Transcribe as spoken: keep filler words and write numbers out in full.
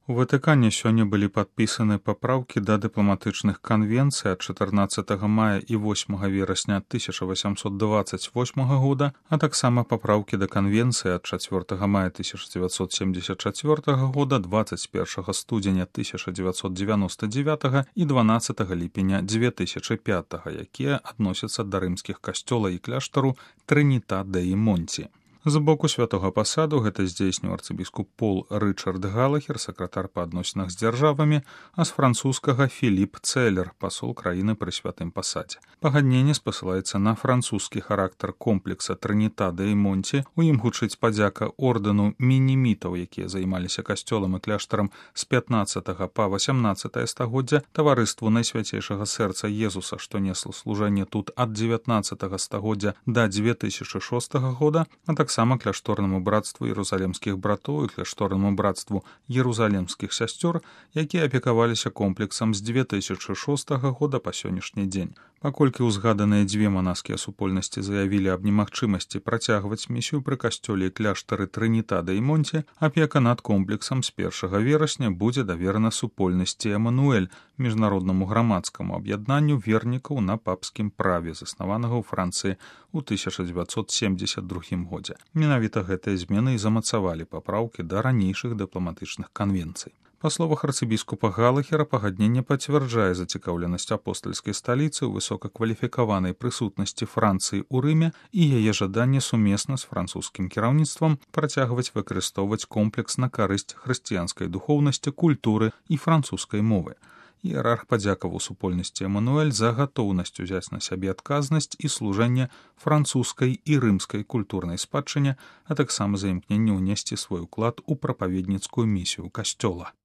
У Ватыкане сёння былі падпісаны папраўкі да дыпламатычных канвенцый ад чатырнаццатага мая і восьмага верасня тысяча васямсот дваццаць восьмага года, а таксама папраўкі да канвенцыі ад чацвёртага мая тысяча дзевяцьсот семьдесят чацвёртага года, дваццаць першага студзеня тысяча дзевяцьсот дзевяноста дзевятага і дванаццатага ліпеня дзве тысячы пятага, якія адносяцца да рымскіх касцёла і кляштару Трыніта-дэй-Монці. З боку святога пасаду гэта здзейсніў арцыбіскуп Пол Рычард Галахер, сакратар па адносінах з дзяржавамі, а з французскага Філіп Цэлер, пасол краіны пры святым пасадзе. Пагадненне спасылаецца на французскі характар комплекса Трыніта-дэй-Монці, у ім гучыць падзяка ордэну мінімітаў, якія займаліся касцёлам і кляштарам з пятнаццатага па васямнаццатае стагоддзя, таварыству Найсвяцейшага сэрца Езуса, што несло служэнне тут ад дзевятнаццатага стагоддзя да дзве тысячы шостага года, а так таксама кляшторнаму братству Єрусалімскіх братоў і кляшторнаму братству Єрусалімскіх сясцёр, якія апекаваліся комплексам з дзве тысячы шостага года па сённяшні дзень. Паколькі ўзгаданыя дзве манаскія супольнасці заявілі аб немагчымасці працягваць місію пры касцёле і кляштары Трыніта-дэй-Монці, апека над комплексам з першага верасня будзе даверана супольнасці Эмануэль, міжнароднаму грамадскаму аб'яднанню вернікаў на папскім праве, заснаванага ў Францыі ў тысяча дзевяцьсот семьдесят другім годзе. Менавіта гэтыя змены і замацавалі папраўкі да ранейшых дыпламатычных канвенцый. Па словах арцыбіскупа Галахера, пагадненне пацвярджае зацікаўленасць апостальскай сталіцы ў высокакваліфікаванай прысутнасці Францыі ў Рыме і яе жаданне сумесна з французскім кіраўніцтвам працягваць выкарыстоўваць комплекс на карысць хрысціянскай духоўнасці, культуры і французскай мовы. Іерарх падзякаваў супольнасці Эмануэль за гатоўнасць узяць на сябе адказнасць і служэнне французскай і рымскай культурнай спадчыне, а таксама за імкненне ўнесці свой уклад у прапаведніцкую місію касцёла.